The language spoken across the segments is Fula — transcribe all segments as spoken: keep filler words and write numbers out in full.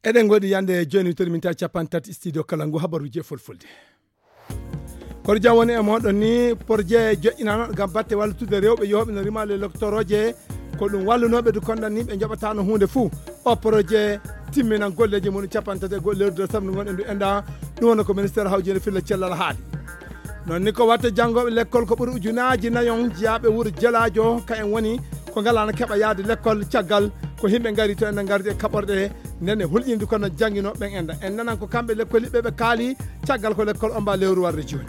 Eɗen ngoɗi yande jooni wittori min tawi capanɗe tati studio kala ngu habaruji e fulfulde. Kono jam woni e moɗon ni, projet joƴƴinano ngam batte wallutude rewɓe yooɓe no rima le loktoroje. Ko ɗum wallunoɓe du kondan ni ɓe joɓatano hunde fuu. O projet timminan golleji mum capanɗe tati e goɗɗo lewru décembre ngon en du enda. Ɗum woni ko ministère hawjinde filla cellal haali. Non ni ko watta janngoɓe lekkol ko ɓuri ujunaji nayon jiyaaɓe wuro Jelaajo, ka en woni ko ngalano keɓa yaade lekkol caggal ko himɓe ngari to enen ngardi e kaɓorɗe nden e hulƴinde kono janngino ɓen enda. En nanan ko kamɓe lekkol yiɓɓe ɓe kaali caggal ko lekkol omba lewru warde jooni.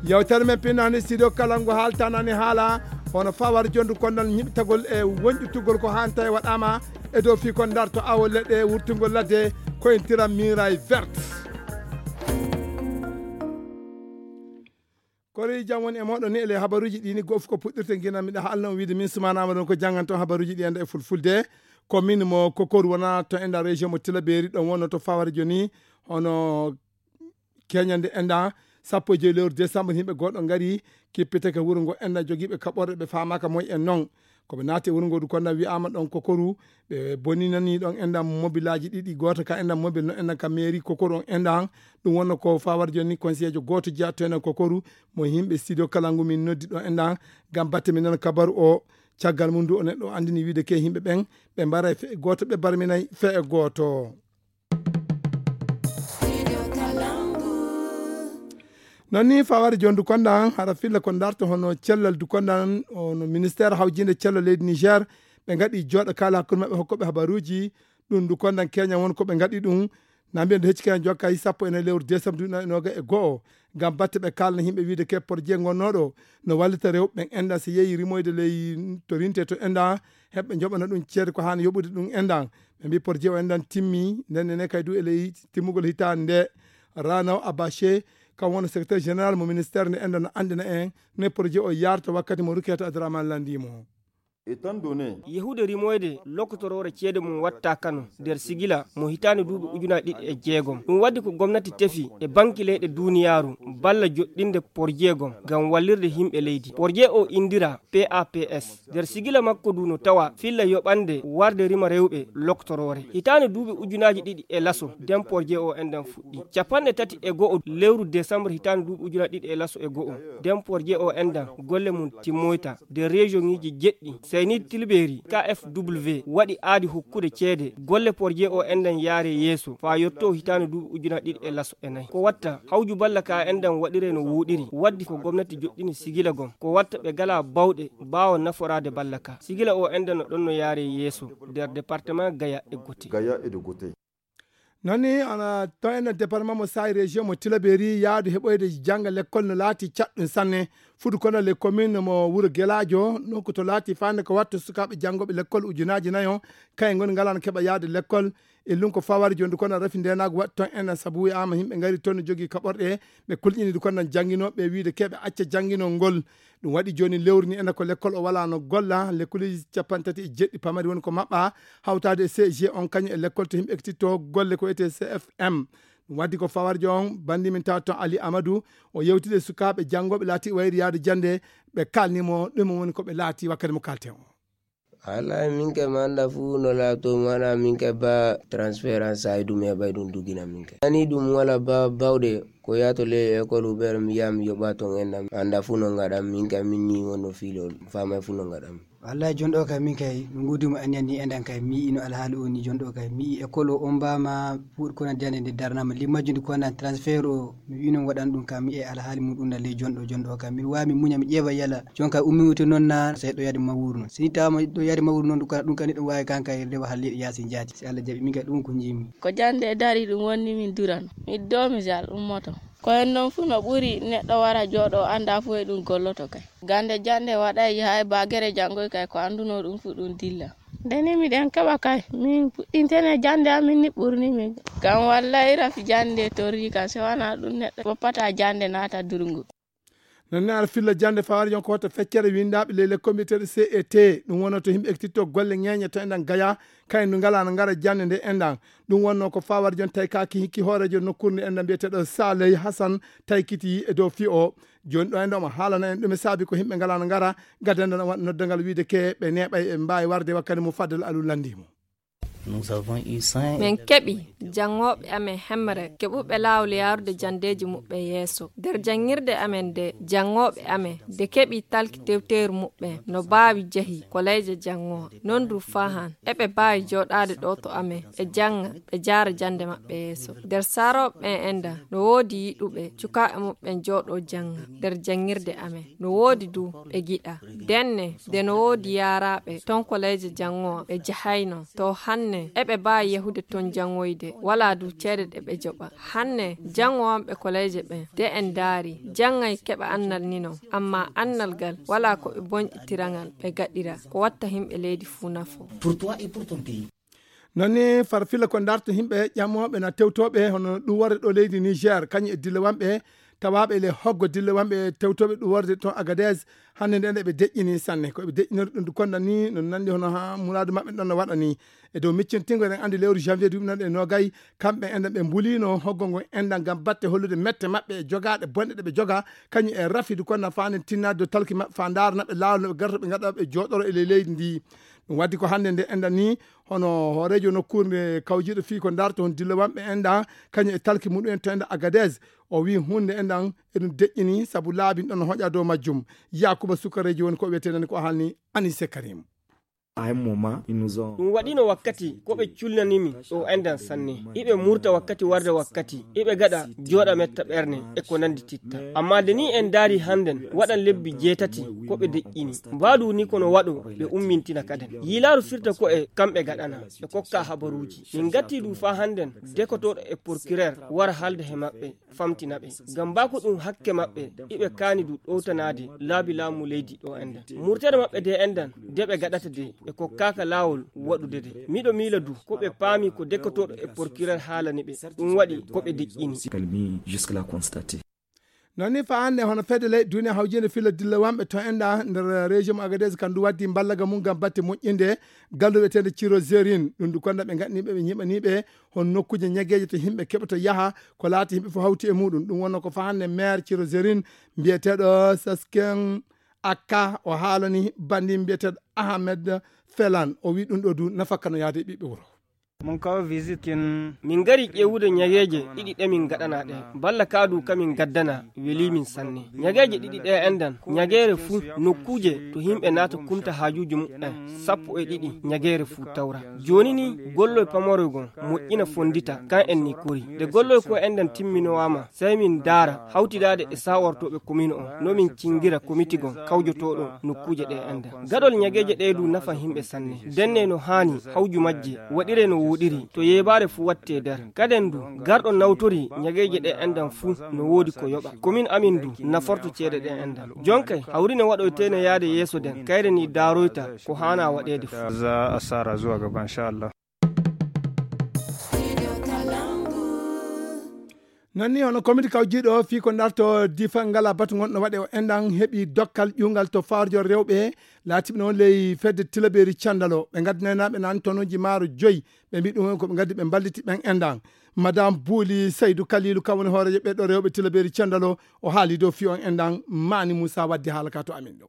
Yewtere men pinnani studio kala ngo haaltanani haala hono fawar jondu konnan ñiɓtagol e wonƴutugol ko hanta e waɗama e dow fii kon darto awo leɗɗe wurtugol ladde ko en tiram miray verte. Kori jam woni e moɗon ni ele habaruji ɗi ni gof ko puɗɗirte gina miɗa haalno on wiide min sumanama ɗon ko jannganto habaruji ɗi enda e fulfulde. Ko min mo kokor wona to enda région mo tilaberi ɗon wonno to fawar joni hono keñande enda sappo e joyi lewru décembre yimɓe goɗɗo ngari kippiteke wuro ngo enda jogiiɓe kaɓorɗe ɓe famaka moy en noon. Ko ɓe naati e wuro ngo du konda wiyama ɗon kokoru ɓe boninani ɗon endan mobilaji ɗiɗi goto ka endan mobil no endan ka mairie kokoru on endan. Ɗum wonno ko fawar joni conseillejo goto jeya to enen kokoru mo yimɓe studio kala ngu min noddi ɗo endan ngam batte min nana kabaru o. Caggal mum du o neɗɗo andini wiide ke yimɓe ɓen ɓe mbaray fe goto ɓe barminay fe e goto. Non ni faware jon dukondan hara filla ko darto hono cellal dukondan ono ministère hawjinde cellal leydi Niger. Ɓe ngaɗi jooɗo kala hakkunde maɓɓe hokkoɓe habaruji. Ɗum dukondan keña won ko ɓe ngaɗi ɗum. Na mbiyen ɗo hecci keña jokka yi sappo e nayi lewru décembre duuɓi noga e go'o. Ngam batte ɓe kalna yimɓe wiide ke porje gonnoɗo no wallita rewɓe ɓen endan so yeeyi rimoyde ley to rinte to endan heɓɓe joɓana ɗum ceede ko hani yoɓude ɗum endan. Ɓe mbi porje o endan timmi nden ne kay du e ley timmugol hitande nde. Ranaw Abache kam wona secrétaire général mo ministère nde endan no andina en ne projet o yarta wakkati mo ruketa adraman landimo. Étant donné yehude rimoyde lokotoroore ceede mum watta kano nder sigila mo hitaande duuɓi ujunaaji ɗiɗi e jeegom. Ɗum waddi ko gomnati tefi e banki leyɗe duniyaaru balla joɗɗinde porjeegom ngam wallirde yimɓe leydi. Porje o indira P A P S. Nder sigila makko ndu no tawa filla yoɓande warde rima rewɓe loktoroore. Hitaande duuɓi ujunaaji ɗiɗi e laso, nden porje o endan fuɗɗi. Capanɗe tati e go'o lewru décembre hitaande duuɓi ujunaaji ɗiɗi e laso e go'o, nden porje o endan golle mum timmoyta nder région ngiji jeɗɗi. Saynid Tilberi, K F W, waɗi aadi hokkude ceede golle porje o endan yaare yeeso faa yotto hitaande duuɓi ujunaaji ɗiɗi e laso e nayi. Ko watta hawju balla ka endan waɗire no wuuɗiri, waddi ko gomnati joɗɗini sigila gom. Ko watta ɓe gala bawɗe baawa naforaade balla ka. Sigila o enda no ɗon no yaare yeeso nder département Gaya e Gote. Gaya et de Gote. Non ni ana to enen département mo Saay région mo Tilaberi yaadu heɓoyde jannga lekkol no laati caɗɗum sanne. Fudu kono le commune mo wuro Gelaajo nokku to laati fande ko wattu sukaaɓe janngoɓe lekkol ujunaaji nayo kay ngoni ngalano keɓa yaade lekkol. E lunko fawari jondu kono rafi ndenagu waɗi ton enen sabu wiyama yimɓe ngari ton no jogii kaɓorɗe ɓe kulƴini du kono janginoɓe wiide keɓe acca janginol ngol. Ɗum waɗi joni lewru ni enen ko lekkol o wala no golla lekkuleji capanɗe tati e jeɗɗi pamari woni ko maɓɓa hawtade e C G on kañum e lekkol to yimɓe ekkititto golle ko wiyete C F M. Ɗum waddi ko fawarjo on bandi min tawa ton Ali Amadou o yewtide e sukaaɓe janngoɓe laati wayri yaade jannde ɓe kalnimo ɗum woni ko ɓe laati wakkati mo kalten o. Alaa min kay mi annda fuu no laato mi waɗa min kay ba transférence ay ɗum heɓay ɗum dugina min kay ani ɗum wala ba bawɗe ko yaato ley école uber mi yaha mi yoɓa ton enɗam annda fuu no ngaɗam min kay min ni wonno fiilol famay fuu no ngaɗam. Wallahi jonɗo kay min kay mi ngudimo aniyan ni enɗan kay mi yi'i no alhaali o ni jonɗo kay mi yi'i école o ombama fuuɗ kona jande nde darnama limmaji ndi kona transfert o mi wi'no mi waɗan ɗum kam mi e alhaali muɗum na ley jonɗo jonɗo kam miɗo wawi mi muña mi ƴeewa yala jonka ummi wuti noon na sey ɗo yaade mawuru noon si tawama ɗo yaade mawuru noon ɗum kala ɗum kadi ɗum wawi kanka e rewa halleɗo yaasi jaati si allah jaaɓi min kadi ɗum ko jiimi. Ko jande e dari ɗum wonni min durano miɗo doomi si allah ummoto. Ko en noon fuu no ɓuri neɗɗo wara jooɗo annda fuu e ɗum golloto kay gande jande waɗay yaha e bagere janngoy kay ko annduno ɗum fuu ɗum dilla. Nde ni miɗen keɓa kay min puɗɗintene jande amin ni ɓurni min kam wallay rafi jande torri kam si wona ɗum neɗɗo woppata jande naata durgu. Non ne ara filla jande fawari yon ko hoto feccere windaɓe ley lekkol mbiyeteɗo C E T ɗum wonno to yimɓe ekkititto golle ñeñe to enɗan gaya kayen ndu ngala no ngara jande nde enɗan. Ɗum wonno ko fawari jon tawi kaki hikki hoorejo nokkurni enɗan mbiyeteɗo Saley Hasan tawi kiti e dow fi o. Joni ɗo enɗan omo haalana en ɗume saabi ko yimɓe ngala no ngara gadda enɗan o waɗa noddangal wiide ke ɓe neeɓay ɓe mbawi warde wakkati mo faddal alu landimo. Nous avons eu cent. Min keɓi janngooɓe amen hemre keɓuɓe laawol yaarude janndeeji muɓɓen yeeso. Nder janngirde amen nde, janngooɓe amen nde keɓi talki tewteeru muɓɓen no baawi jehi koleeje janngowa. Non du fahan eɓe baawi jooɗaade ɗo to amen ɓe jannga ɓe jaara jannde maɓɓe yeeso. Nder saarooɓe ɓen enda no woodi yiɗuɓe cukaaɓe muɓɓen jooɗoo jannga nder janngirde amen. No woodi du ɓe giɗa. Denne nde no woodi yaaraaɓe ton koleeje janngowa ɓe jahayno. To hannde eɓe baawi yahude ton janngoyde, walaa du ceede ɗe ɓe joɓa. Hannde janngowanɓe koleeje ɓen de en ndaari janngay keɓa annal ni non, amma annal ngal walaa ko ɓe bonƴitira ngal ɓe gaɗira ko watta yimɓe leydi fuu nafo. Pour toi et pour ton pays. Non ni farfilla ko darto yimɓe ƴamooɓe na tewtooɓe hono ɗum warde ɗo leydi Niger kañum e dillewanɓe tawaaɓe le hoggo dillewanɓe tewtooɓe ɗum warde toon Agadez. Hannde nde nde ɓe deƴƴini sanne ko ɓe deƴƴinori ɗum du konda ni no nanndi hono ha muraadu maɓɓe ɗon no waɗa ni. E dow miccintingo eɗen anndi lewru janvier duuɓi nan e nogay kamɓe enɗan ɓe mbulino hoggo ngo enɗan ngam batte hollude mette maɓɓe e jogaaɗe bonɗe ɗe ɓe joga kañum e rafidu konda faanen tinnaade dow talki maɓɓe faa ndaarana ɓe laawol no ɓe garata ɓe ngaɗa ɓe jooɗoro e ley leydi ndi. Ɗum waddi ko hannde nde enɗan ni hono hooreejo nokkuure nde kawjiiɗo fii ko ndaarta hon dillewanɓe enɗan kañum e talki muɗum en to enɗan Agadez. O wii huunde enɗan eɗum deƴƴini sabu laabi ɗon no hoƴa dow majjum. Yakuba sukareeji woni ko wiyetee nani ko haalni Anise Karim. Ɗum waɗino wakkati ko ɓe culnanimi ɗo enɗan sanne. Iɓe murta wakkati warde wakkati iɓe gaɗa jooɗa metta ɓerne e ko nandi titta. Amma de ni en ndaari hannden waɗan lebbi jeetati ko ɓe deƴƴini. Mbaadu ni kono waɗo ɓe ummintina kaden. Yiilaaru firta ko e kamɓe gaɗana ɓe kokka habaruuji. Min ngatti ɗum faa hannden dekotooɗo e porkireer wara haalda he maɓɓe famtina ɓe. Ngam baa ko ɗum hakke maɓɓe iɓe kaani du ɗowtanaade laabi laamu leydi ɗo enɗan. Murtere maɓɓe de enɗan de ɓe gaɗata de ɓe kokkaaka laawol waɗude de. Miɗo miila du ko ɓe paami ko dekotooɗo e porkireer haalani ɓe ɗum waɗi ko ɓe deƴƴini. Non ni faa hannde hono fedde ley duniya hawjiinde filla dillewanɓe to enɗan nder région mo Agadez kan du waddi mballaga mum ngam batte moƴƴinde galluɓe tende Ciro Zerin ɗum du konda ɓe gaɗaniɓe ɓe ñiɓaniɓe hon nokkuuje ñageeje to yimɓe keɓata yaha ko laati yimɓe fof hawti e muɗum. Ɗum wonno ko faa hannde maire Ciro Zerin mbiyeteeɗo Sasken Akka o haalani banndi mbiyeteeɗo Ahmed Felan o wii ɗum ɗo du nafakka no yaade e ɓiɓɓe wuro. Min ngari ƴeewude ñageeje ɗiɗi ɗe min ngaɗana ɗe balla kaa du ka min ngaddana welii min sanne. Ñageeje ɗiɗi ɗe enɗan ñageere fuu nokkuuje to yimɓe naata kumta haajuuji muɓɓen sappo e ɗiɗi ñageere fuu tawra. Jooni ni golloy pamoroy gon moƴƴina fonndita kan en ni kori. Nde golloy ko enɗan timminowaama sey min ndaara hawtidaade e saawortooɓe komin on no min cingira komiti gon kawjotooɗo nokkuuje ɗe enɗan. Gaɗol ñageeje ɗe du nafa yimɓe sanne. Denne no haani hawju majje waɗire no wooɗiri to yeebaare fuu watte nder. Kaden du garɗo nawtori ñageeje ɗe enɗan fuu no woodi ko yoɓa. Komin amin du naforto ceede ɗe enɗan. Jonkay hawri no waɗoyteene yaade yeeso den kayre ni daaroyta ko haana waɗeede fuu. Non ni hono komiti kawjiiɗo fii ko darto difa ngala batu gonɗo waɗe o enɗan heɓi dokkal ƴuungal to farjo rewɓe laatiɓe noon ley fedde tilabeeri candalo ɓe ngaddanaynaɓe naan tonuji maaro joyi ɓe mbi ɗum ko ɓe ngaddi ɓe mballiti ɓen enɗan. Madame Bouli Saydou Kalilou kam woni hooreejo ɓeɗɗo rewɓe tilabeeri candalo o haali dow fii on enɗan. Mani Moussa waddi haala ka to amin ɗo.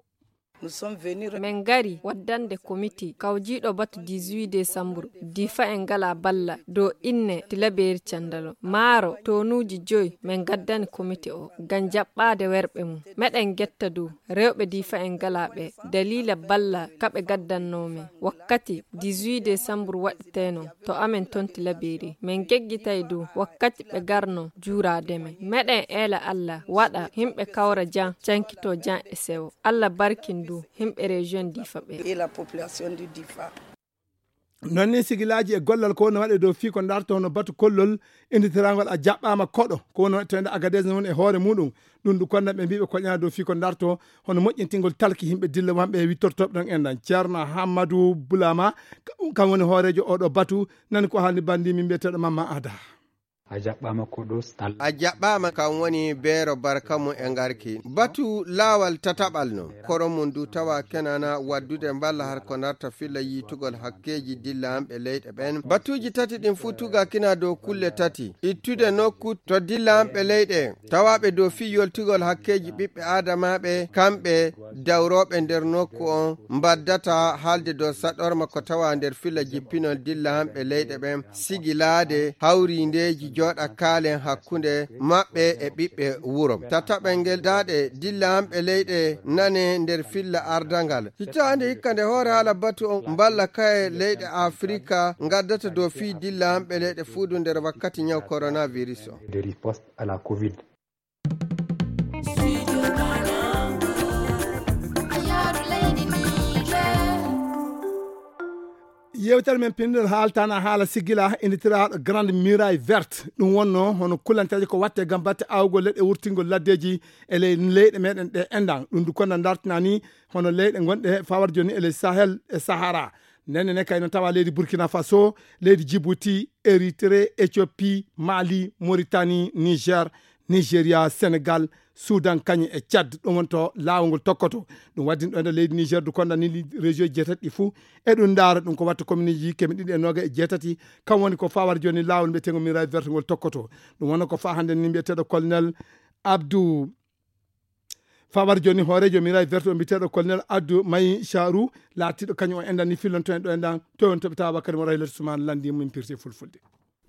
Min ngari waddande komiti kawjiiɗo batu dix-huit desambur difa en ngala balla dow inne tilabeeri candalo maaro tonuuji joyi min ngaddani komiti o ngam jaɓɓaade werɓe mum. Meɗen ngetta dow rewɓe difa en ngala ɓe daliila balla ka ɓe ngaddannoo men wakkati dix-huit desambur waɗeteenoo to amen ton tilabeeri. Min ngeggitay dow wakkati ɓe ngarnoo juuraade men. Meɗen eela Alla waɗa yimɓe kawra jam cankitoo jam e sewo. Alla barkin du yimɓe région Difa ɓe. Non ni sigilaaji e gollal ko woni waɗe dow fii ko darto hono batu kollol inditiraangol a jaɓɓaama koɗo ko woni waɗteende Agadez noon e hoore muɗum. Ɗum du konda ɓe mbiɓe koƴana dow fii ko darto hono moƴƴintingol talki yimɓe dille wanɓe e wittortoɓe ɗon enɗan. Ceerno Hammadou Boulama kam woni hooreejo oɗo batu. Nani ko haalni banndi min mbiyeteeɗo Mamma Ada. A jaɓɓaama ko ɗo stal. A jaɓɓaama, kam woni Beero Barka mum e ngarki. Batu laawal tataɓal noon. Kono mum ndu tawa kenana waddude mballa har ko narta filla yiitugol hakkeeji dillaaɓe leyɗe ɓen. Batuuji tati ɗin fuu tuga kina dow kulle tati. Ittude nokku to dillaaɓe leyɗe tawaaɓe dow fii yoltugol hakkeeji ɓiɓɓe aadamaaɓe, kamɓe dawrooɓe nder nokku on mbaddata haalde dow saɗorma ko tawa nder filla jippinol dillaaɓe leyɗe ɓen, sigilaade hawrindeeji jooɗa kaalen hakkunde maɓɓe e ɓiɓɓe wuro. Tataɓel ngel daaɗe dillaaɓe leyɗe nane nder filla ardangal. Hitaande hikka nde hoore haala batu on mballa kaye leyɗe Afrika ngaddata dow fii dillaaɓe leyɗe fuudu nder wakkati ñaw coronavirus on. De riposte à la covid. Yewtere men pinndol haaltana haala sigila innitiraaɗo Grande Muraille Verte. Ɗum wonno hono kullanteeje ko watte gam batte awgol leɗɗe, wurtingol laddeeji e ley leyɗe meɗen ɗe enɗan. Ɗum du konna dartina ni hono leyɗe gonɗe fawar joni e ley Sahel e Sahara. Nden ne kay no tawa leydi Burkina Faso, leydi Djibouti, Érythrée, Éthiopie, Mali, Mauritanie, Niger, Nigeria, Senegal, Sudan, kañum e Tchad. Ɗum woni to laawol ngol tokkoto. Ɗum waddin ɗo nder leydi Niger du konda ni région jeetati ɗi fuu. E ɗum ndaara ɗum ko watta commune ji keme ɗiɗi e noga e jeetati. Kam woni ko fawar joni laawol mbiyeteengol Muraille Verte ngol tokkoto. Ɗum woni ko fa hannde ni mbiyeteeɗo colonel Abdou Fabar joni hooreejo Miraye Verte o mbiteeɗo colonel Abdou Mayi Charou, laatiiɗo kañum o enɗan ni fillonto en ɗo enɗan to on toɓita Bakary mo Rahilatu Soumane lanndi min pirti e fulfulde.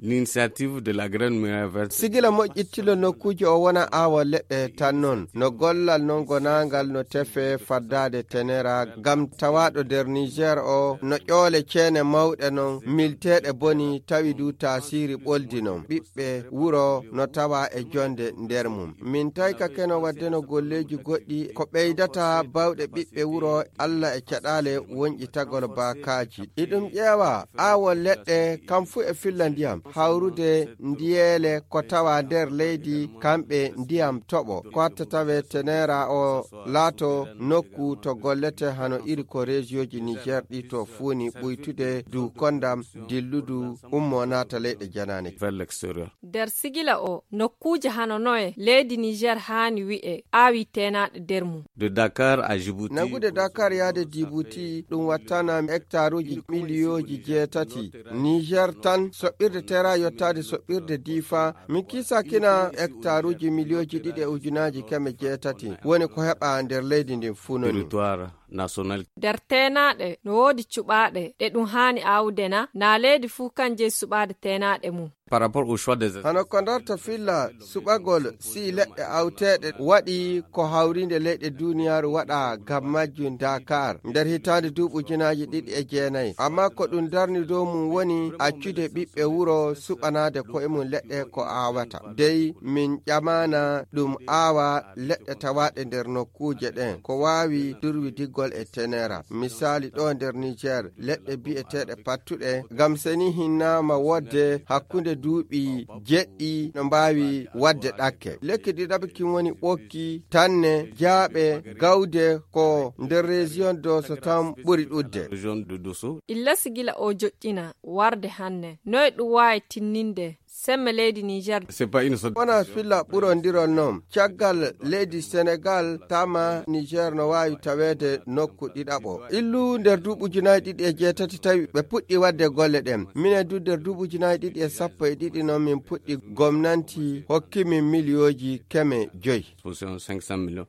L'initiative de la Grande Muraille Verte. Sigila moƴƴittilo nokkuuji o wona aawo leɗɗe tan noon. No gollal noon gonaangal no tefe faddaade tenera ngam tawaaɗo nder Niger o no ƴoole ceene mawɗe noon milteeɗe boni tawi du taasiri ɓoldi noon. Ɓiɓɓe wuro no tawa e jonde nder mum. Min tawi ka keno waddeno golleeji goɗɗi ko ɓeydata bawɗe ɓiɓɓe wuro Alla e caɗaale wonƴitagol baakaaji. Iɗum ƴeewa aawo leɗɗe kam fuu e filla ndiyam, hawrude ndiyeele ko tawa nder leydi kamɓe ndiyam toɓo. Ko hatta tawe tenera o laato nokku to gollete hano iri ko reesiyooji Niger ɗi to fuuni ɓuytude du kondam dilludu ummo naata leyɗe janaane. Vers l'extérieur. Nder sigila o, nokkuuje hano noye leydi Niger haani wi'e aawi teenaaɗe nder mum? De Dakar à Djibouti. Nangude Dakar yaade Djibouti, ɗum wattana hectaruuji miliyooji jeetati. Niger tan, soɓɓirde Tera yottaade soɓɓirde Difa, min kiisakina hectaruuji miliyooji ɗiɗi e ujunaaji keme jeetati. Woni ko heɓa nder leydi ndin fuu non ni. Territoire national. Nder teenaaɗe, no woodi cuɓaaɗe ɗe ɗum haani aawude na? Na leydi fuu kan jeyi suɓaade teenaaɗe mum? Par rapport au choix des. Hano ko ndarta filla suɓagol si leɗɗe awteeɗe waɗi ko hawrinde leyɗe duniyaaru waɗa ngam majjum Dakar nder hitaande duuɓi ujunaaji ɗiɗi e jeenayi. Amma ko ɗum darni dow mum woni accude ɓiɓɓe wuro suɓanaade koye mum leɗɗe ko aawata. Dey min ƴamaana ɗum aawa leɗɗe tawaaɗe nder nokkuuje ɗen ko waawi durwidigol e tenera. Misaali ɗo nder Niger, leɗɗe bi'eteeɗe pattuɗe, ngam seni hinnaama wodde hakkunde duuɓi jeɗɗi no mbaawi waɗde ɗakke. Lekki ɗiɗaɓi kin woni ɓokki, tanne, jaaɓe, gawde ko nder région Dosso tan ɓuri ɗuɗde. Région de Dosso. Illa sigila o joƴƴina warde hanne. Noy ɗum waawi tinninde semme leydi Niger? C'est pas une sorte. Wona filla ɓurondirol noon. Caggal leydi Senegal tama Niger no waawi taweede nokku ɗiɗaɓo. Illu nder duuɓi ujunaaji ɗiɗi e jeetati tawi ɓe puɗɗi waɗde golle ɗen. Minen du nder duuɓi ujunaaji ɗiɗi e sappo e ɗiɗi noon min puɗɗi gomnanti hokki min miliyooji keme joyi. Position cinq cents millions.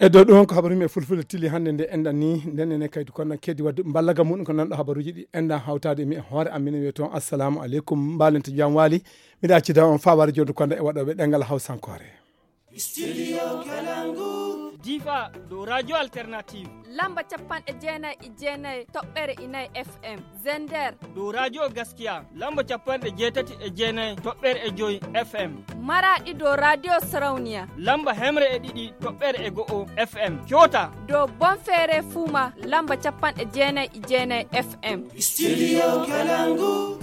E dow ɗum ko habaru men fulfulde tili hannde nde enɗan ni, nden ene kaydi kono kedi wadde mballaga muɗum ko nanɗo habaruji ɗi enɗan hawtaade e mi e hoore am, minen wiye toon assalamu aleykum, mbalente jam waali, miɗa accida on faware jondo konda e waɗoɓe ɗengal hawsankore. Studio Kalangu. Difa, dow Radio Alternative. Lamba capanɗe jeenayi e jeenayi toɓɓere e nayi F M. Zender. Dow Radio Gaskiya, lamba capanɗe jeetati e jeenayi toɓɓere e joyi F M. Maraɗi, dow Radio Sarauniya. Lamba hemre e ɗiɗi toɓɓere e go'o F M. Coota. Dow Bonfere Fuma, lamba capanɗe jeenayi e jeenayi F M. Studio Kalangu.